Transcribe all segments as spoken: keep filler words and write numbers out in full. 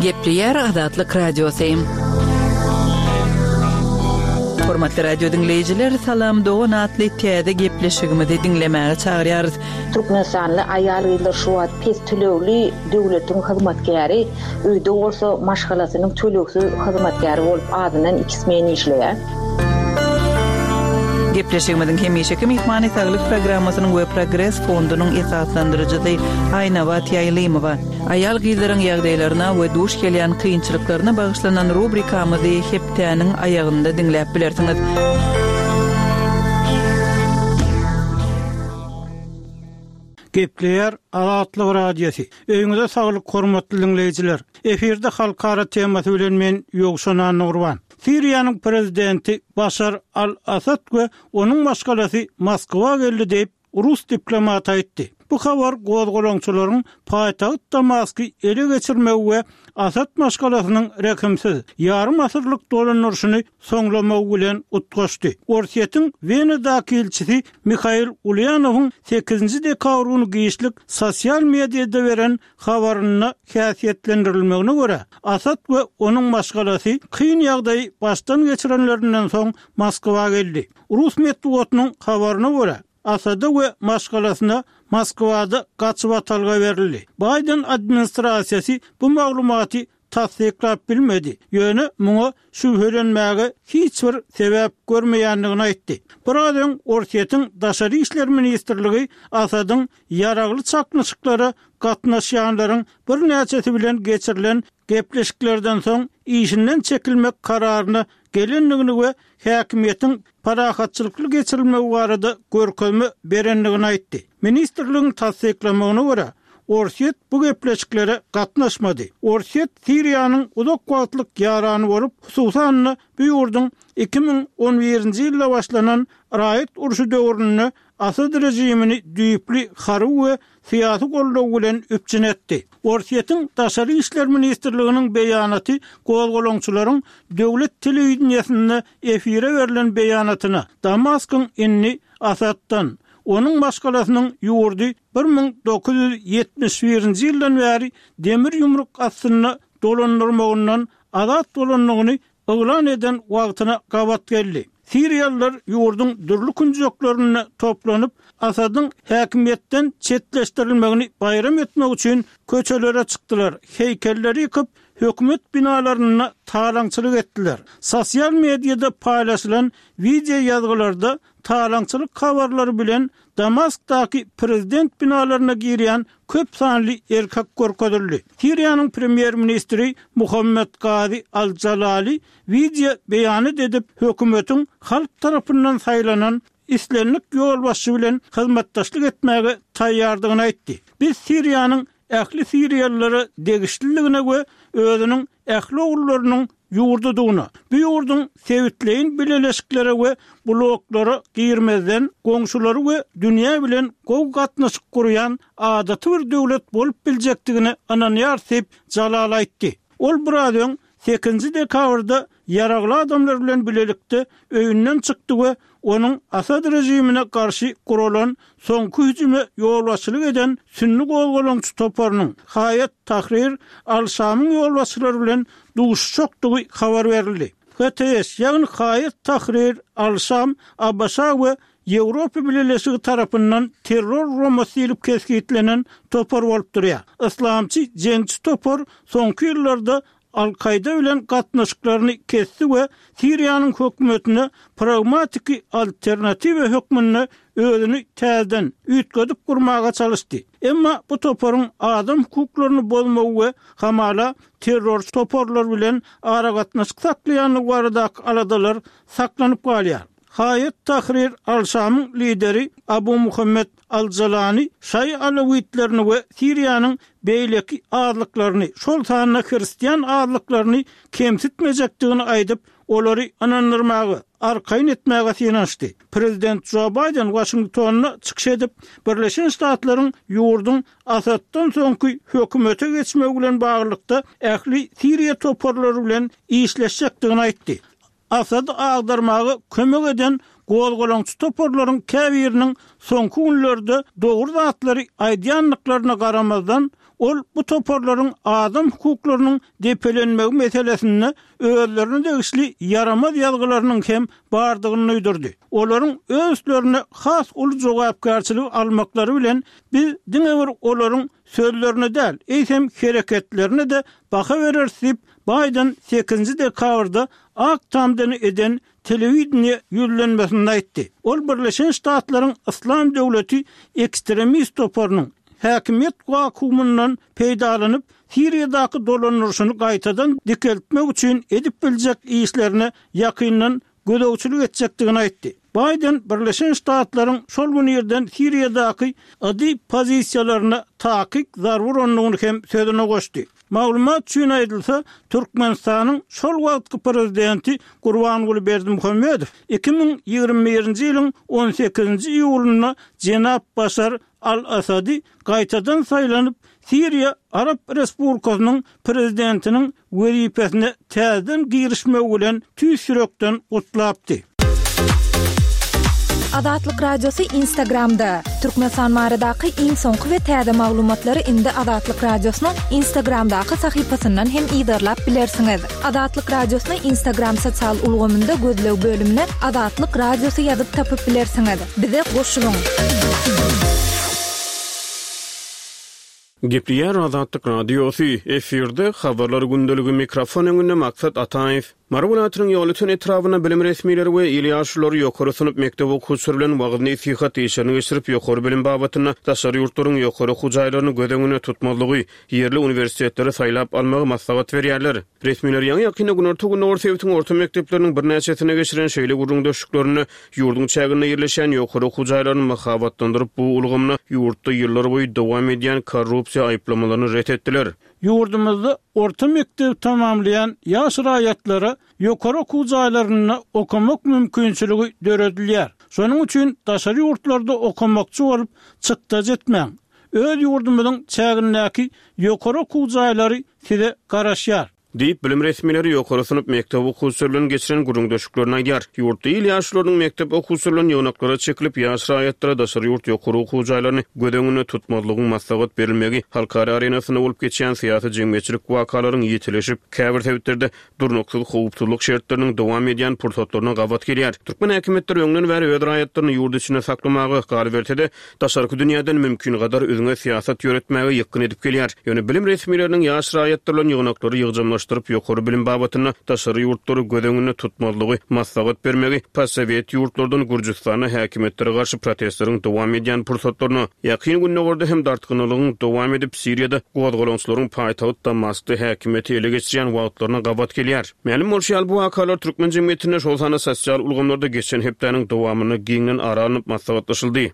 Gepleýär Azatlyk Radiosy. Hormatly radio diňleýjiler, Salam Dogan atly täze gepleşigimizi diňlemäge çagyrýarys. Türkmenistanly aýal-gyzlar şu wagt pes tölegli döwletiň hyzmatkäri, öýde bolsa maşgalasynyň tölegsiz hyzmatkäri bolup azyndan iki smen işleýär. Gepleşigimiziň hemişeki myhmany saglyk programmasynyň we Progres fondunyň esaslandyryjysy Aýnabat Ýaýlymowa. Aýal-gyzlaryň ýagdaýlaryna we duş gelýän kynçylyklaryna bagyşlanan rubrikamyzy hepdäniň aýagynda diňläp bilersiňiz. Gepleýär Azatlyk Radiosy. Öýüňize saglyk hormatly diňleýjiler. Efirde halkara temasy bilen men Ýowşan Annagurban. Siriýanyň prezidenti Başar al-Asad we onuň maşgalasy Moskwa geldi diýip, rus diplomaty aýtdy. Bu habar gozgalaňçylaryň paýtagt Damasky ele geçirmegi we Asad maşgalasynyň rehimsiz ýarym asyrlyk dolandyryşyny soňlamagy bilen utgaşdy. Orsýetiň Wenadaky ilçisi Mihail Ulýanowyň sekizinji dekabr güni giçlik sosial mediada beren habarynda häsiýetlendirilmegine görä, Asad we onuň maşgalasy kyn ýagdaýy başdan geçirenlerinden soň Moskwa geldi. Rus metbugatynyň habaryna görä, Asada we maşgalasyna Moskwada gaçybatalga berildi. Baýden administrasiýasy bu maglumaty tassyklap bilmedi, ýöne muňa şübhelenmäge hiç bir sebäp görmeýändigini aýtdy. Biraz öň Orsýetiň Daşary işler ministrligi Asadyň ýaragly çaknyşyklara gatnaşýanlaryň birnäçesi bilen geçirilen gepleşiklerden soň işinden çekilmek kararyna gelendigini we häkimiýetiň parahatçylykly geçirilmegi barada görkezme berendigini aýtdy. Ministrligiň tassyklamagyna görä, Orsýet bu gepleşiklere gatnaşmady. Orsýet Siriýanyň uzak wagtlyk ýarany bolup, hususan-da bu ýurduň iki müň on birinji ýylda başlanan raýat urşy döwründe Asad režimini düýpli harby we syýasy goldaw bilen üpjün etdi. Orsýetiň Daşary işler ministrliginiň beýanaty gozgalaňçylaryň döwlet telewideniýesinde efire berlen beýanatyna Damaskyň indi Asaddan, onuň maşgalasynyň ýurdy bir müň dokuz ýüz ýetmiş birinji ýyldan bäri demir ýumruk astynda dolandyrmagyndan azat bolandygyny yglan eden wagtyna gabat geldi. Siriýalylar ýurduň dürli künjeklerinde toplanyp, Asadyň häkimiýetden çetleşdirilmegini baýram etmek üçin köçelere çykdylar, heýkelleri ýykyp, hökümet binalarynda talaňçylyk etdiler. Sosial mediada paýlaşylan wideo ýazgylarda talaňçylyk habarlary bilen Damaskdaky prezident binalaryna girýän köp sanly erkek görkezildi. Siriýanyň premýer-ministri Muhammed Gazi al-Jalali wideo beýanat edip, hökümetiň halk tarapyndan saýlanan islendik ýolbaşçy bilen hyzmatdaşlyk etmäge taýýardygyny aýtdy. Biz Siriýanyň ähli siriýalylara degişliligine we özüniň ähli ogullarynyň ýurdudygyna, bu ýurduň sebitleýin bileleşiklere we bloklara girmezden goňşulary we dünýä bilen gowy gatnaşyk gurýan adaty bir döwlet bolup biljekdigine ynanýarys diýip, Jalal aýtdy. Ol biraz öň sekizinji dekabrda ýaragly adamlar bilen bilelikde öýünden çykdy we onuň Asad režimine garşy guralan soňky hüjüme ýolbaşçylyk eden sünni gozgalaňçy toparynyň Haýat Tahrir al-Şamyň ýolbaşçylary bilen duşuşjakdygy habar berildi. H T S, ýagny Haýat Tahrir al-Şam A B Ş we Ýewropa Bileleşigi tarapyndan terror guramasy diýlip kesgitlenen topar bolup durýar. Yslamçy jeňçi topar soňky ýyllarda Al-Kaýda bilen gatnaşyklaryny kesdi we Siriýanyň hökümetine pragmatiki alternatiwa hökmünde özüni täzeden üýtgedip gurmaga çalyşdy. Emma bu toparyň adam hukuklaryny bozmagy we hamala terrorçy toparlar bilen aragatnaşyk saklaýandygy baradaky aladalar saklanyp galýar. Haýat Tahrir al-Şamyň lideri Abu Muhammed al-Jalani şaýy alawitlerini we Siriýanyň beýleki azlyklaryny, şol sanda hristian azlyklaryny kemsitmejekdigini aýdyp, olary ynandyrmaga, arkaýyn etmäge synanyşdy. Prezident Jo Baýden Waşingtonda çykyş edip, Birleşen Ştatlaryň ýurduň Asaddan soňky hökümete geçmegi bilen baglylykda ähli Siriýa toparlary bilen işleşjekdigini aýtdy. Asady agdarmaga kömek eden Gozgalaňçy toparlaryň käbiriniň soňky günlerde dogry zatlary aýdýandyklaryna garamazdan, ol bu toparlaryň adam hukuklarynyň depelenmegi meselesinde özlerine degişli ýaramaz ýazgylarynyň hem bardygyny duýdurdy. Olaryň öz üstlerine has uly jogapkärçiligi almaklary bilen biz diňe bir olaryň sözlerine däl, eýsem hereketlerine-de baha bereris diýip, Baýden sekizinji dekabrda Ak Tamdan eden telewideniýe ýüzlenmesinde aýtdy. Ol Birleşen Ştatlaryň Yslam döwleti ekstremist toparynyň häkimiýet wakuumyndan peýdalanyp, Siriýadaky dolandyryşyny gaýtadan dikeltmek üçin edip biljek işlerine ýakyndan gözegçilik etjekdigini aýtdy. Baýden Birleşen Ştatlaryň şol gün irden Siriýadaky Y D pozisiýalaryna takyk zarba urandygyny hem sözüne goşdy. Maglumat üçin aýdylsa, Türkmenistanyň şol wagtky prezidenti Gurbanguly Berdimuhamedow iki müň ýigrimi birinji ýylyň on sekizinji iýulynda jenap Başar al-Asady gaýtadan saýlanyp, Siriýa Arap Respublikasynyň prezidentiniň wezipesine täzeden girişmegi bilen tüýs ýürekden gutlapdy. Azatlyk Radiosy Instagramda. Türkmenistan baradaky iň soňky we täze maglumatlary indi Azatlyk Radiosynyň Instagramdaky sahypasyndan hem yzarlap bilersiňiz. Azatlyk Radiosyny Instagram sosial ulgamynda gözleg bölümine Azatlyk Radiosy ýazyp tapyp bilersiňiz. Bize goşulyň. Gepleýär Azatlyk Radiosy, efirde Habarlar gündeligi, mikrofon öňünde Maksat Ataýew. Mary welaýatynyň Ýolöten etrabynda bilim resmileri we il ýaşululary ýokary synp mekdep okuwçylary bilen wagyz-nesihat işlerini geçirip, ýokary bilim babatynda daşary ýurtlaryň ýokary okuw jaýlaryny göz öňünde tutmazlygy, ýerli uniwersitetleri saýlap almagy maslahat berýärler. Resmiler ýaňy-ýakynda Günorta-Gündogar sebitiň orta mekdepleriniň birnäçesinde geçiren şeýle gürrüňdeşliklerinde ýurduň çäginde ýerleşýän ýokary okuw jaýlaryny mahabatlandyryp, bu ulgamda ýurtda ýyllarboýy dowam edýän korrupsiýa aýyplamalaryny ret etdiler. Ýurdumyzda orta mekdebi tamamlaýan ýaş raýatlara ýokary okuw jaýlarynda okamak mümkinçiligi döredilýär. Şonuň üçin daşary ýurtlarda okamakçy bolup çykdajy etmäň. Öz ýurdumyzyň çägindäki ýokary okuw jaýlary size garaşýar. Diýip, bilim resmileri ýokary synp mekdep okuwçylary bilen geçiren gürrüňdeşliklerini aýdýar. Ýurtda il ýaşlarynyň mekdep okuwçylary bilen ýygnaklara çekilip, ýaş raýatlara daşary ýurt ýokary okuw jaýlaryny göz öňünde tutmazlygyň maslahat berilmegi, halkara arenasynda bolup geçýän syýasy jemgyýetçilik wakalaryň ýitileşip, käbir sebitlerde durnuksyz howpsuzlyk şertleriniň dowam edýän pursatlaryna gabat gelýär. Türkmen häkimiýetleri öňden bäri öz raýatlaryny ýurt içinde saklamaga, galyberse-de, daşarky dünýäden mümkingadar üzňe syýasat ýöretmäge ýykgyn edip gelýär. Ýöne bilim resmileriniň ýaş raýatlar bilen ýygnaklary ýygjamlaşdyryp, ýokary bilim babatynda daşary ýurtlary göz öňünde tutmazlygy maslahat bermegi postsowet ýurtlardan Gürjüstanda häkimiýetlere garşy protestleriň dowam edýän pursatlaryna, Ýakyn Gündogarda hem dartgynlygyň dowam edip, Siriýada gozgalaňçylaryň paýtagt Damaskda häkimiýeti ele geçirýän wagtlaryna gabat gelýär. Mälim bolşy ýaly, bu wakalar türkmen jemgyýetinde, şol sanda sosial ulgamlarda geçen hepdäniň dowamynda giňden ara alnyp maslahatlaşyldy.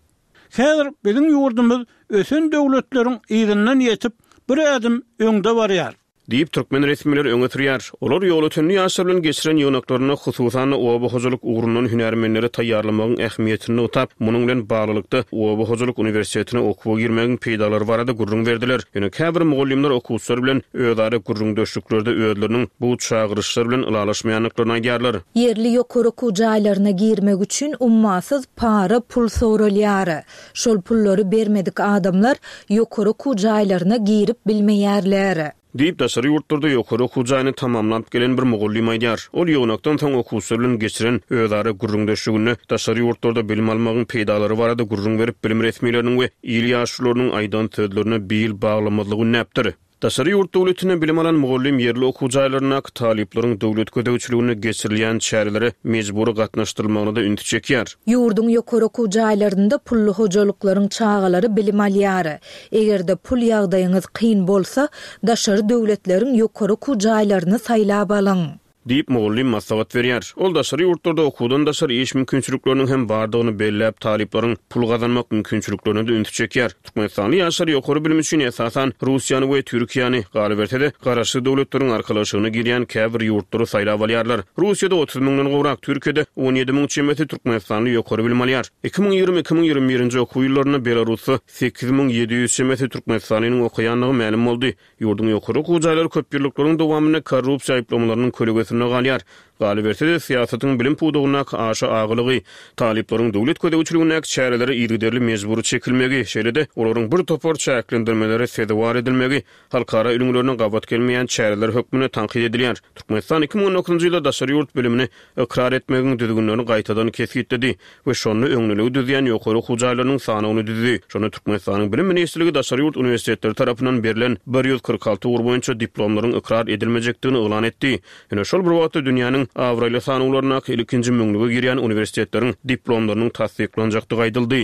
Häzir biziň ýurdumyz ösen döwletleriň yzyndan ýetip, bir ädim öňde barýar. Diýip, türkmen resmileri öňe sürýär. Olar Ýolötenli ýaşlar bilen geçiren ýygnaklarynda hususan-da oba hojalyk ugrundan hünärmenleri taýýarlamagyň ähmiýetini nygtap, munuň bilen baglylykda oba hojalyk uniwersitetine okuwa girmegiň peýdalary barada gürrüň berdiler. Ýöne käbir mugallymlar okuwçylar bilen özara gürrüňdeşliklerde özleriniň bu çagyryşlar bilen ylalaşmaýandyklaryny aýdýarlar. Ýerli ýokary okuw jaýlaryna girmek üçin ummasyz para pul soralýar. Şol pullary bermedik adamlar ýokary okuw jaýlaryna girip bilmeýärler. Diýip, daşary ýurtlarda ýokary okuw jaýyny tamamlap gelen bir mugallym aýdýar. Ol ýygnakdan soň okuwçylar bilen geçiren özara gürrüňdeşliginde daşary ýurtlarda bilim almagyň peýdalary barada gürrüň berip, bilim resmileriniň we il ýaşlylarynyň aýdan sözlerine bil baglamazlygy ündäpdir. Daşary ýurt döwletinde bilim alan mugallym ýerli okuw jaýlaryndaky talyplaryň döwlet gözegçiliginde geçirilýän çärelere mejbury gatnaşdyrylmagyna da ünsi çekýär. Ýurduň ýokary okuw jaýlarynda pully hojalyklaryň çagalary bilim alýar. Eger-de pul ýagdaýyňyz kyn bolsa, daşary döwletleriň ýokary okuw jaýlaryny saýlap alyň. Diýip, mugallym maslahat berýär. Ol daşary ýurtlarda okuwdan daşary iş mümkinçilikleriniň hem bardygyny belläp, talyplaryň pul gazanmak mümkinçiliklerine de ünsi çekýär. Türkmenistanly ýaşlar ýokary bilim üçin esasan Russiýany we Türkiýäni, galyberse-de, garaşsyz döwletleriň arkalaşygyna girýän käbir ýurtlary saýlap alýarlar. Russiýada otuz müňden gowrak, Türkiýede on ýedi müň çemesi türkmenistanly ýokary bilim alýar. Iki müň ýigrimi, iki müň ýigrimi birinji okuw ýyllarynda Belarusda sekiz müň ýedi ýüz çemesi türkmenistanlynyň okaýandygy mälim boldy. Ýurduň ýokary okuw jaýlary köp ýyllyklaryň dowamynda korrupsiýa aýyplamalarynyň kölegesinde galýar. Galyberse-de, syýasatyň bilim pudagyndaky aşa agalygy, talyplaryň döwlet gözegçiligindäki çärelere yzygiderli mejbury çekilmegi, şeýle-de olaryň bir topar çäklendirmelere sezewar edilmegi halkara ülňülerine gabat gelmeýän çäreler hökmünde tankyt edilýär. Türkmenistan iki müň on dokuzynjy ýylda daşary ýurt bilimini ykrar etmegiň düzgünlerini gaýtadan kesgitledi we şonda öňdeligi düzýän ýokary okuw jaýlarynyň sanawyny düzdi. Şonda Türkmenistanyň Bilim ministrligi daşary ýurt uniwersitetleri tarapyndan berlen bir ýüz kyrk alty ugur boýunça diplomlaryň ykrar edilmejekdigini yglan etdi. Ýöne şol bir wagtda dünýäniň abraýly sanawlaryndaky ilkinji müňlüge girýän uniwersitetleriň diplomlarynyň tassyklanjakdygy aýdyldy.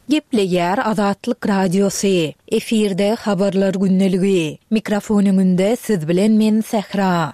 Gepleýär Azatlyk Radiosy. Efirde habarlar gündeligi. Mikrofon öňünde siz bilen men Sähra.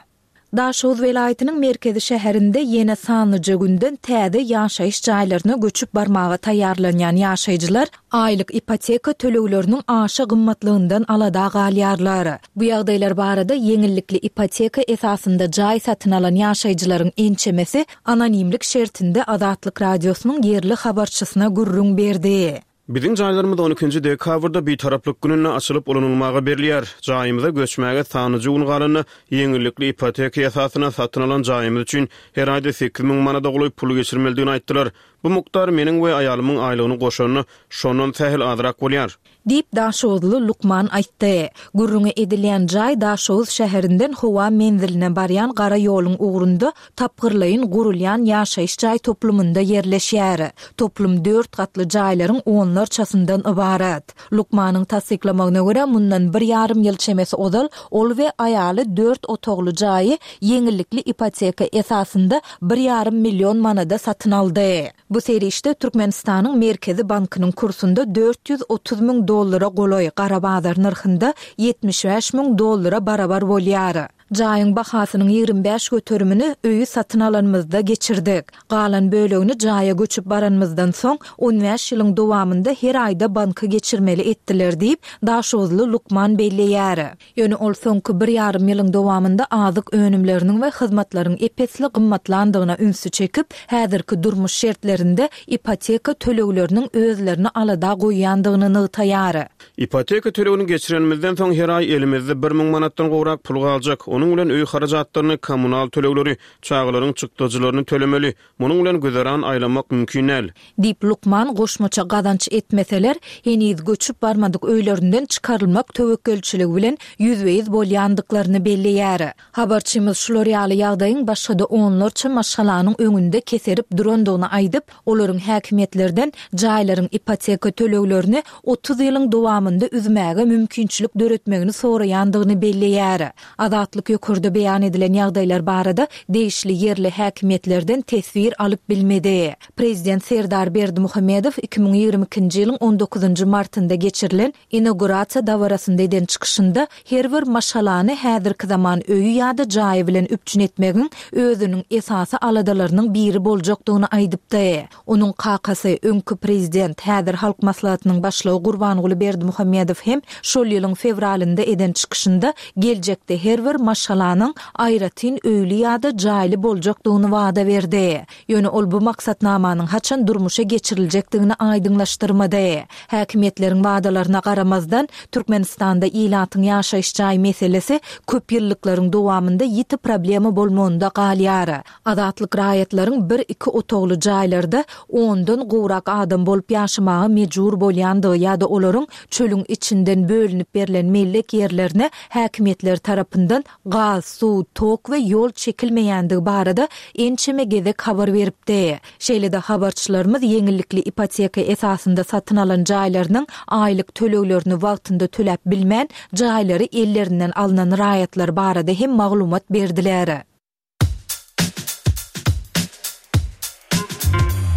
Daşoguz welaýatynyň merkezi şäherinde ýene sanlyja günden täze ýaşaýyş jaýlaryna göçüp barmaga taýýarlanýan ýaşaýjylar aýlyk ipoteka tölegleriniň aşa gymmatlygyndan alada galýarlar. Bu ýagdaýlar barada ýeňillikli ipoteka esasynda jaý satyn alan ýaşaýjylaryň ençemesi anonimlik şertinde Azatlyk Radiosynyň ýerli habarçysyna gürrüň berdi. Biziň jaýlarymyz on ikinji dekabrda Bitaraplyk gününde açylyp ulanylmaga berilýär. Jaýymyza göçmäge sanlyja gün galanda ýeňillikli ipoteka esasynda satyn alan jaýymyz üçin her aýda sekiz müň manada golaý pul geçirmelidigini aýtdylar. Bu mukdar meniň we aýalymyň aýlygyny goşanda şondan sähel azrak bolýar. Diýip Daşoguzly Lukman aýtdy. Gürrüňi edilýän jaý Daşoguz şäherinden howa menziline barýan gara ýoluň ugrunda tapgyrlaýyn gurulýan ýaşaýyş jaý toplumynda ýerleşýär. Toplum dört gatly jaýlaryň onlarçasyndan ybarat. Lukmanyň tassyklamagyna görä mundan bir ýarym ýyl çemesi ozal ol we aýaly dört otagly jaýy ýeňillikli ipoteka esasynda bir ýarym million manada satyn aldy. Bu serişde Türkmenistanyň Merkezi Bankynyň kursunda dört ýüz otuz müň dollara golaý, gara bazar nyrhynda ýetmiş bäş müň dollara barabar bolýar. Jaýyň bahasynyň ýigrimi bäş göterimini öýi satyn alanymyzda geçirdik. Galan bölegini jaýa göçüp baranymyzdan soň on bäş ýylyň dowamynda her aýda banka geçirmeli etdiler diýip Daşoguzly Lukman belleýär. Ýöne ol soňky bir ýarym ýylyň dowamynda azyk önümleriniň we hyzmatlaryň epesli gymmatlandygyna ünsi çekip, häzirki durmuş şertlerinde ipoteka tölegleriniň özlerini alada goýýandygyny nygtaýar. Ipoteka tölegini geçirenimizden soň her aý elimizde bir müň manatdan gowrak pul galjak. Onuň bilen öý harajatlaryny, kommunal tölegleri, çagalaryň çykdajylaryny tölemeli. Munuň bilen güzeran aýlamak mümkin däl. Diýip Lukman goşmaça gazanç etmeseler, heniz göçüp barmadyk öýlerinden çykarylmak töwekgelçiligi bilen ýüzbe-ýüz bolýandyklaryny belleýär. Habarçymyz şular ýaly ýagdaýyň başga-da onlarça maşgalanyň öňünde keserip durandygyny aýdyp, olaryň häkimiýetlerden jaýlaryň ipoteka töleglerini otuz ýylyň dowamynda üzmäge mümkinçilik döretmegini soraýandygyny belleýär. Azatlyk ýokarda beýan edilen ýagdaýlar barada degişli ýerli häkimiýetlerden teswir alyp bilmedi. Prezident Serdar Berdimuhamedow iki müň ýigrimi ikinji ýylyň on dokuzynjy martynda geçirilen inaugurasiýa dabarasynda eden çykyşynda her bir maşgalany häzirki zaman öýi ýa-da jaýy bilen üpjün etmegiň özüniň esasy aladalarynyň biri boljakdygyny aýdypdy. Onuň kakasy, öňki prezident, häzir Halk Maslahatynyň başlygy Gurbanguly Berdimuhamedow hem şol ýylyň fewralynda eden çykyşynda geljekde her bir maşgalanyň aýratyn öýli ýa-da jaýly boljakdygyny wada berdi. Ýöne ol bu maksatnamanyň haçan durmuşa geçiriljekdigini aýdyňlaşdyrmady. Häkimiýetleriň wadalaryna garamazdan, Türkmenistanda ilatyň ýaşaýyş jaý meselesi köp ýyllyklaryň dowamynda ýiti problema bolmagynda galýar. Azatlyk raýatlaryň bir-iki otagly jaýlarda ondan gowrak adam bolup ýaşamaga mejbur bolýandygy ýa-da olaryň çölüň içinden bölünip berlen mellek ýerlerine häkimiýetler tarapyndan gaz, suw, tok we ýol çekilmeýändigi barada ençeme gezek habar beripdi. Şeýle-de habarçylarymyz ýeňillikli ipoteka esasynda satyn alan jaýlarynyň aýlyk töleglerini wagtynda töläp bilmän, jaýlary ellerinden alnan raýatlar barada hem maglumat berdiler.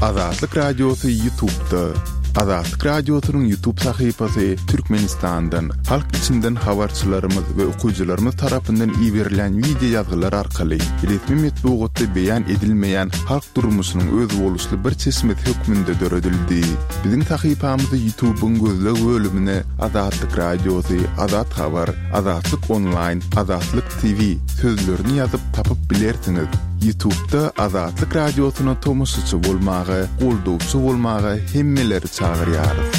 Azatlyk Radiosy YouTube'da. Azatlyk Radiosynyň YouTube sahypasy Türkmenistandan, halk içinden habarçylarymyz we okyjylarymyz tarapyndan iberilen video ýazgylar arkaly resmi metbugatda beýan edilmeýän halk durmuşynyň özboluşly bir çeşmesi hökmünde döredildi. Biziň sahypamyzy YouTube'yň gözleg bölümine Azatlyk Radiosy, Azat Habar, Azatlyk Online, Azatlyk T V sözlerini ýazyp tapyp bilersiňiz. YouTube'da Azatlyk Radiosyna tomaşaçy bolmaga, goldawçy bolmaga hemmeleri çagyrýarys.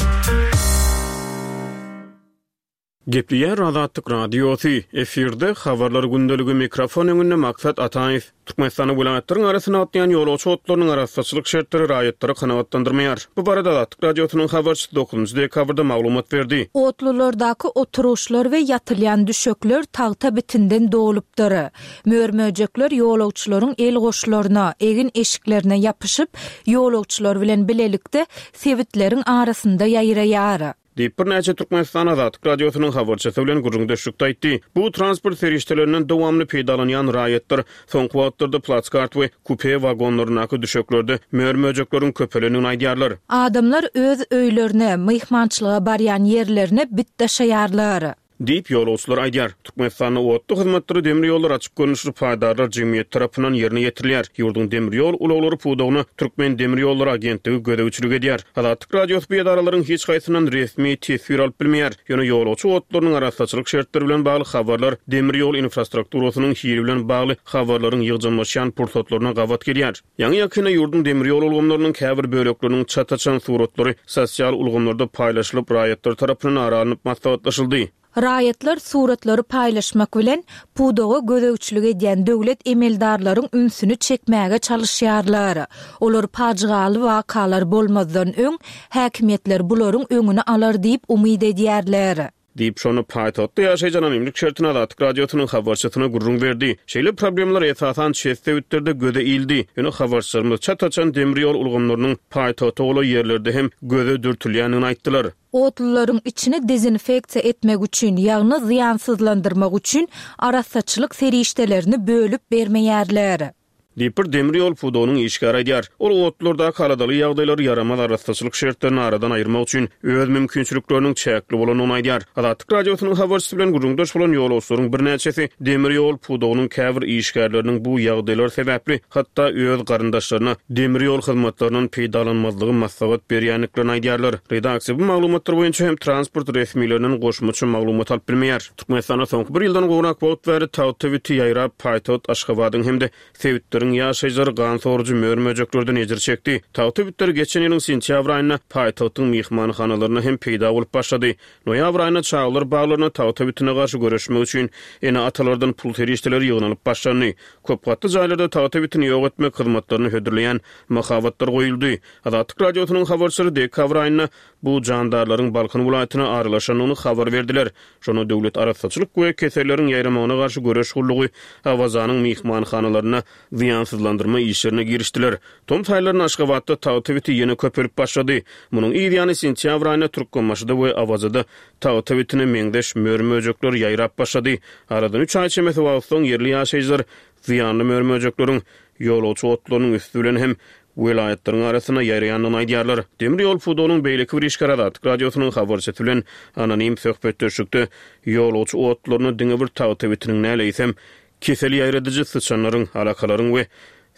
Gepleýär Azatlyk Radiosy, efirde Habarlar gündeligi mikrofon öňünde Maksat Ataýew. Türkmenistanyň welaýatlaryň arasynda gatnaýan ýolagçy otlarynyň arassaçylyk şertleri raýatlary kanagatlandyrmaýar. Bu barada Azatlyk Radiosynyň habarçysy dokuzynjy dekabrda maglumat berdi. Otlulardaky oturyşlar we ýatylýan düşekler tagta bitinden dolupdyr. Mör-möjekler ýolagçylaryň el goşlaryna, egin eşiklerine ýapyşyp, ýolagçylar bilen bilelikde sebitleriň arasynda ýaýraýar. Diýip, birnäçe Türkmenistan Azatlyk Radiosynyň habarçysy bilen gürrüňdeşlikde aýtdy. Bu transport serişdelerinden dowamly peýdalanýan raýatlar soňky wagtlarda platskart we kupe wagonlaryndaky düşeklerde mör-möjekleriň köpelendigini aýdýarlar. Adamlar öz öýlerine, myhmançylyga barýan ýerlerine bit daşaýarlar. Diýip, ýolagçylar aýdýar. Türkmenistanda otly hyzmatlary demir ýollar açyk görnüşli paýdarlar jemgyýeti tarapyndan ýerine ýetirilýär. Ýurduň demir ýol ulaglary pudagyna Türkmen demir ýollary agentligi gözegçilik edýär. Azatlyk Radiosy bu edaralaryň hiç haýsyndan resmi teswir alyp bilmeýär. Ýöne ýolagçy otlarynyň arassaçylyk şertleri bilen bagly habarlar demir ýol infrastrukturasynyň hili bilen bagly habarlaryň ýygjamlaşýan pursatlaryna gabat gelýär. Ýaňy ýakynda ýurduň demir ýol ulgamlarynyň käbir bölekleriniň çat açan suratlary sosial ulgamlarda paýlaşylyp, raýatlar tarapyndan ara alnyp maslahatlaşyldy. Raýatlar suratlary paýlaşmak bilen pudaga gözegçilik edýän döwlet emeldarlaryň ünsüni çekmäge çalyşýarlar. Olar pajygaly wakalar bolmazdan öň häkimiýetler bularyň öňüni alar diýip umyt edýärler. Diýip, şony paýtagtda ýaşaýan anonimlik şertine Azatlyk Radiosynyň habarçysyna gürrüň berdi. Şeýle problemler esasan çet sebitlerde göze ildi. Ýöne habarçylarymyz çat açan demir ýol ulgamlarynyň paýtagta bolan ýerlerde hem göze dürtülýändigini aýtdylar. Otlylaryň içini dezinfeksiýa etmek üçin, ýagny zyýansyzlandyrmak üçin arassaçylyk serişdelerini bölüp bermeýärler. Diýip, bir demir ýol pudagynyň işgäri aýdýar. Ol otlulardaky aladaly ýagdaýlary ýaramaz arassaçylyk şertlerini aradan aýyrmak üçin öz mümkinçilikleriniň çäkli bolandygyny aýdýar. Azatlyk Radiosynyň habarçysy bilen gürrüňdeş bolan ýolagçylaryň birnäçesi demir ýol pudagynyň käbir işgärleriniň bu ýagdaýlar sebäpli hatda öz garyndaşlaryna demir ýol hyzmatlaryndan peýdalanmazlygy maslahat berýändiklerini aýdýarlar. Redaksiýa bu maglumatlar boýunça hem transport resmilerinden goşmaça maglumat alyp bilmeýär. Türkmenistanda soňky bir ýyldan gowrak wagt bäri tagta biti ýaýrap paýtagt Aşgabadyň hem-de sebitleriň ýaşaýjylary gan sorujy mör-möjeklerden ejir çekdi. Tagta bitleri geçen ýylyň sentýabr aýynda paýtagtyň myhmanhanalarynda hem peýda bolup başlady. Noýabr aýynda çagalar baglaryna tagta bitine garşy göreşmek üçin ene-atalardan pul serişdeleri ýygnalyp başlandy. Köp gatly jaýlarda tagta bitini ýok etmek hyzmatlaryny hödürleýän mahabatlar goýuldy. Azatlyk Radiosynyň habarçylary dekabr aýynda bu jandarlaryň Balkan welaýatyna aralaşandygyny habar berdiler. Şonda döwlet arassaçylyk we keselleriň ýaýramagyna garşy göreş gullugy Awazanyň myhmanhanalarynda zyýansyzlandyrma işlerine girişdiler. Tomus aýlarynda Aşgabatda tagta biti ýene köpelip başlady. Munuň yz ýany sentýabr aýynda Türkmenbaşyda we Awazada tagta bitine meňzeş mör-möjekler ýaýrap başlady. Aradan üç aý çemesi wagt soň ýerli ýaşaýjylar zyýanly mör-möjekleriň ýolagçy otlarynyň üstü bilen hem welaýatlaryň arasynda ýaýraýandygyny aýdýarlar. Demir ýol pudagynyň beýleki bir işgäri Azatlyk Radiosynyň habarçysy bilen anonim söhbetdeşlikde ýolagçy otlaryna diňe bir tagta bitiniň näle eýsem kesel ýaýradyjy syçanlaryň, alakalaryň we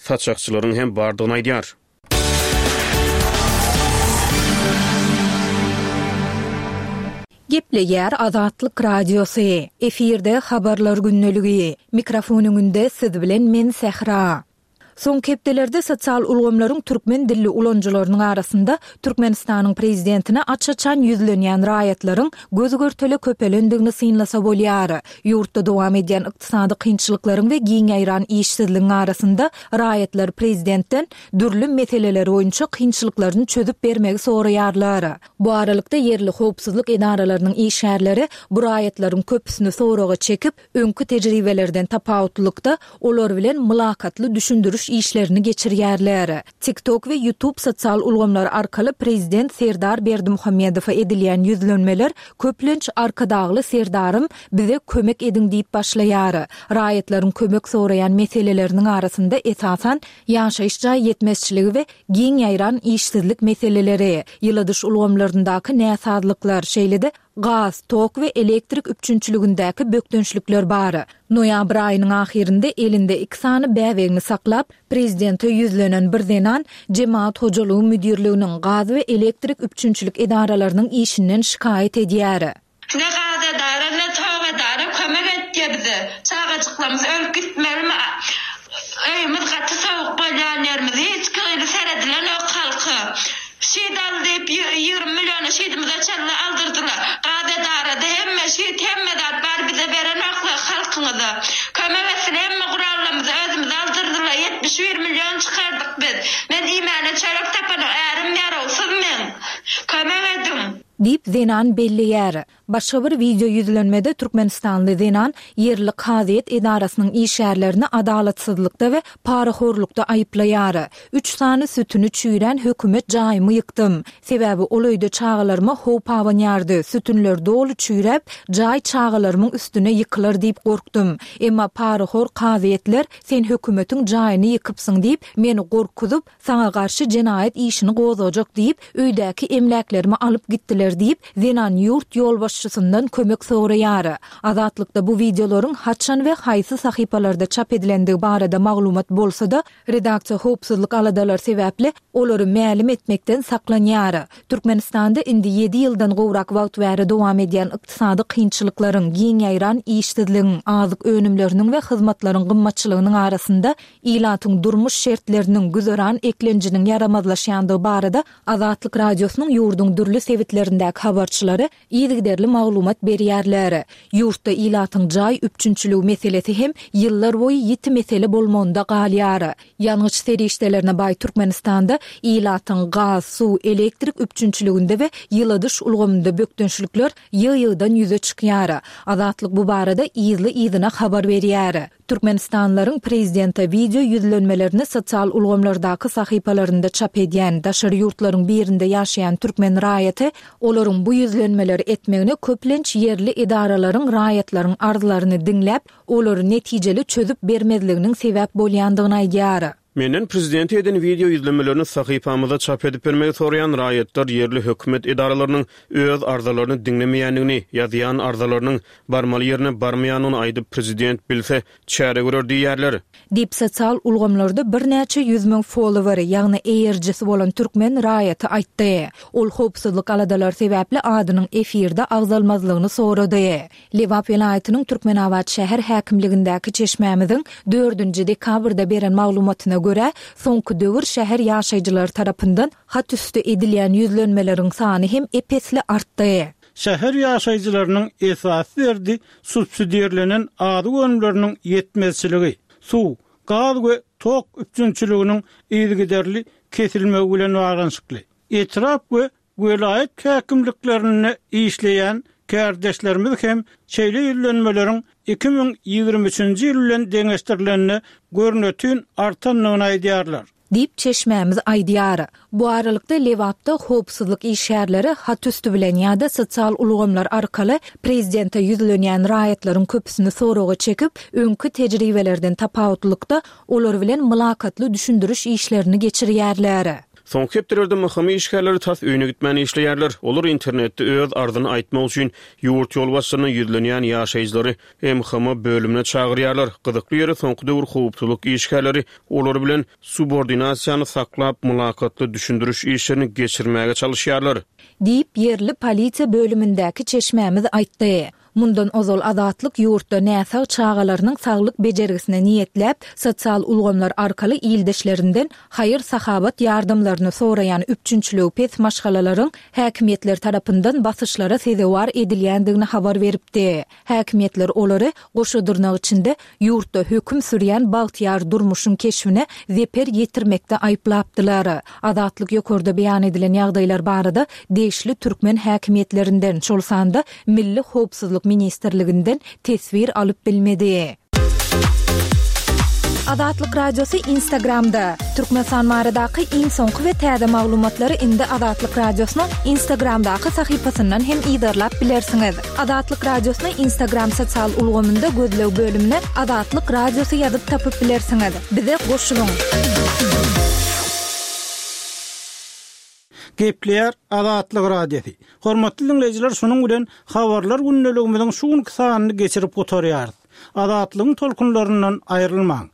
saçakçylaryň hem bardygyny aýdýar. Gepleýär Azatlyk Radiosy. Efirde habarlar gündeligi. Mikrofon öňünde siz bilen men Sähra. Soňky hepdelerde sosial ulgamlaryň türkmen dilli ulanyjylarynyň arasynda Türkmenistanyň prezidentine aç-açan ýüzlenýän raýatlaryň göz görtele köpelendigini synlasa bolýar. Ýurtda dowam edýän ykdysady kynçylyklaryň we giň ýaýran işsizligiň arasynda raýatlar prezidentden dürli meseleler boýunça kynçylyklaryny çözüp bermegi soraýarlar. Bu aralykda ýerli howpsuzlyk edaralarynyň işgärleri bu raýatlaryň köpüsini soraga çekip, öňki tejribelerden tapawutlylykda olar bilen mylakatly düşündiriş işlerini geçirýärler. TikTok we YouTube sosial ulgamlary arkaly prezident Serdar Berdimuhamedowa edilýän ýüzlenmeler köplenç Arkadagly Serdarym bize kömek ediň diýip başlaýar. Raýatlaryň kömek soraýan meseleleriniň arasynda esasan ýaşaýyş jaý ýetmezçiligi we giň ýaýran işsizlik meseleleri, ýyladyş ulgamlaryndaky näsazlyklar, şeýle-de gaz, tok we elektrik üpjünçiligindäki bökdençlikler bar. Noýabr aýynyň ahyrynda elinde iki sany bäbegini saklap, prezidente ýüzlenen bir zenan Jemaat hojalygy müdirliginiň gaz we elektrik üpjünçilik edaralarynyň işinden şikaýat edýär. Ne gaz edara, ne tok edara kömek etýär bize. Çagajyklarymyz ölüp gitmelimi? Öýümiz gaty soğuk bolýan ýerimiz, hiç kili seredilen yok halka. Şeýd al diýip ýigrimi milliona şeýdimize çenli aldyrdylar. Gaz edarada hemme Süýt hemme zat bar bize berenoklar halkyňyza. Kömek etsin hemme gurallarymyzy özümiz aldyrdylar ýetmiş bir million çykardyk biz. Men iýmäne çörek tapanok ärim ýarawsyz meň. Kömek ediň. Diýip, zenan belleýär. Başga bir wideo ýüzlenmede türkmenistanly zenan ýerli kazyýet edarasynyň işgärlerini adalatsyzlykda we parahorlukda aýyplaýar. Üç sany sütüni çüýrän hökümet jaýymy ýykdym. Sebäbi ol öýde çagalaryma howp abanýardy. Sütünler doly çüýräp, jaý çagalarymyň üstüne ýykylar diýip gorkdum. Emma parahor kazyýetler sen hökümetiň jaýyny ýykypsyň diýip, meni gorkuzyp, saňa garşy jenaýat işini gozgajak diýip, öýdäki emläklerimi alyp gitdiler diýip, zenan ýurt ýolbaşçysyndan kömek soraýar. Azatlykda bu wideolaryň haçan we haýsy sahypalarda çap edilendigi barada maglumat bolsa-da, redaksiýa howpsuzlyk aladalary sebäpli olary mälim etmekden saklanýar. Türkmenistanda indi ýedi ýyldan gowrak wagt bäri dowam edýän ykdysady kynçylyklaryň, giň ýaýran işsizligiň, azyk önümleriniň we hyzmatlaryň gymmatçylygynyň arasynda ilatyň durmuş şertleriniň, güzeran eklenjiniň ýaramazlaşýandygy barada Azatlyk Radiosynyň ýurduň dürli sebitlerindäki habarçylary yzygiderli maglumat berýärler. Ýurtda ilatyň jaý üpjünçiligi meselesi hem ýyllar boýy ýiti mesele bolmagynda galýar. Ýangyç serişdelerine baý Türkmenistanda ilatyň gaz, suw, elektrik üpjünçiliginde we ýyladyş ulgamynda bökdençlikler ýygy-ýygydan ýüze çykýar. Azatlyk bu barada yzly-yzyna habar berýär. Türkmenistanlylaryň prezidente wideo ýüzlenmelerini sosial ulgamlardaky sahypalarynda çap edýän, daşary ýurtlaryň birinde ýaşaýan türkmen raýaty olaryň bu ýüzlenmeleri etmegine köplenç ýerli edaralaryň raýatlaryň arzlaryny diňläp, olary netijeli çözüp bermezliginiň sebäp bolýandygyny aýdýar. Menden prezidente eden wideo ýüzlenmelerini sahypamyzda çap edip bermegi soraýan raýatlar ýerli hökümet edaralarynyň öz arzalaryny diňlemeýändigini, ýazýan arzalarynyň barmaly ýerine barmaýandygyny aýdyp prezident bilse çäre görer diýýärler. Diýip sosial ulgamlarda birnäçe ýüz müň followeri, ýagny eýerijisi bolan türkmen raýaty aýtdy. Ol howpsuzlyk aladalary sebäpli adynyň efirde agzalmazlygyny sorady. Lebap welaýatynyň Türkmenabat şäher häkimligindäki çeşmämiziň dördünji dekabrda beren maglumatyna görä, soňky döwür şäher ýaşaýjylary tarapyndan hat üsti edilýän ýüzlenmeleriň sany hem ep-esli artdy. Şäher ýaşaýjylarynyň esasy derdi subsidirlenen azyk önümleriniň ýetmezçiligi, suw, gaz we tok üpjünçiliginiň yzygiderli kesilmegi bilen baglanyşykly. Etrap we welaýat häkimliklerinde işleýän kärdeşlerimiz hem şeýle ýüzlenmeleriň iki müň ýigrimi üçünji ýyl bilen deňeşdirilende görnetin artandygyny aýdýarlar. Diýip, çeşmämiz aýdýar. Bu aralykda, Lebapda howpsuzlyk işgärleri hat üsti bilen ýa-da sosial ulgamlar arkaly prezidente ýüzlenýän raýatlaryň köpüsini soraga çekip, öňki tejribelerden tapawutlykda, olar bilen mylakatly düşündiriş işlerini geçirýärler. Soňky hepdelerde M H M işgärleri tas öýüne gitmän işleýärler. Olar internetde öz arzyny aýtmak üçin ýurt ýolbaşçylaryna ýüzlenýän ýaşaýjylary M H M bölümine çagyrýarlar. Gyzykly ýeri soňky döwür howpsuzlyk işgärleri olar bilen subordinasiýany saklap mylakatly düşündiriş işlerini geçirmäge çalyşýarlar. Diýip, ýerli polisiýa bölümindäki çeşmämiz aýtdy. Mundan ozal Azatlyk ýurtda näsag çagalarynyň saglyk bejergisine niýetläp, sosial ulgamlar arkaly ildeşlerinden haýyr-sahabat ýardamlaryny soraýan üpjünçiligi pes maşgalalaryň häkimiýetler tarapyndan basyşlara sezewar edilýändigini habar beripdi. Häkimiýetler olary goşa dyrnak içinde ýurtda höküm sürýän bagtyýar durmuşyň keşbine zeper ýetirmekde aýyplapdylar. Azatlyk ýokarda beýan edilen ýagdaýlar barada degişli türkmen häkimiýetlerinden, şol sanda Milli howpsuzlyk ministrliginden teswir alyp bilmedi. Azatlyk Radiosy Instagramda. Türkmenistan baradaky iň soňky we täze maglumatlary indi Azatlyk Radiosynyň Instagramdaky sahypasyndan hem yzarlap bilersiňiz. Azatlyk Radiosyny Instagram sosial ulgamynda gözleg bölümine Azatlyk Radiosy ýazyp tapyp bilersiňiz. Bize goşulyň. Gepleýär Azatlyk Radiosy. Hormatly dinleýjiler, şunuň bilen habarlar gündeligimiziň şu günki sanyny geçirip gutarýarys. Azatlygyň tolkunlaryndan aýrylmaň.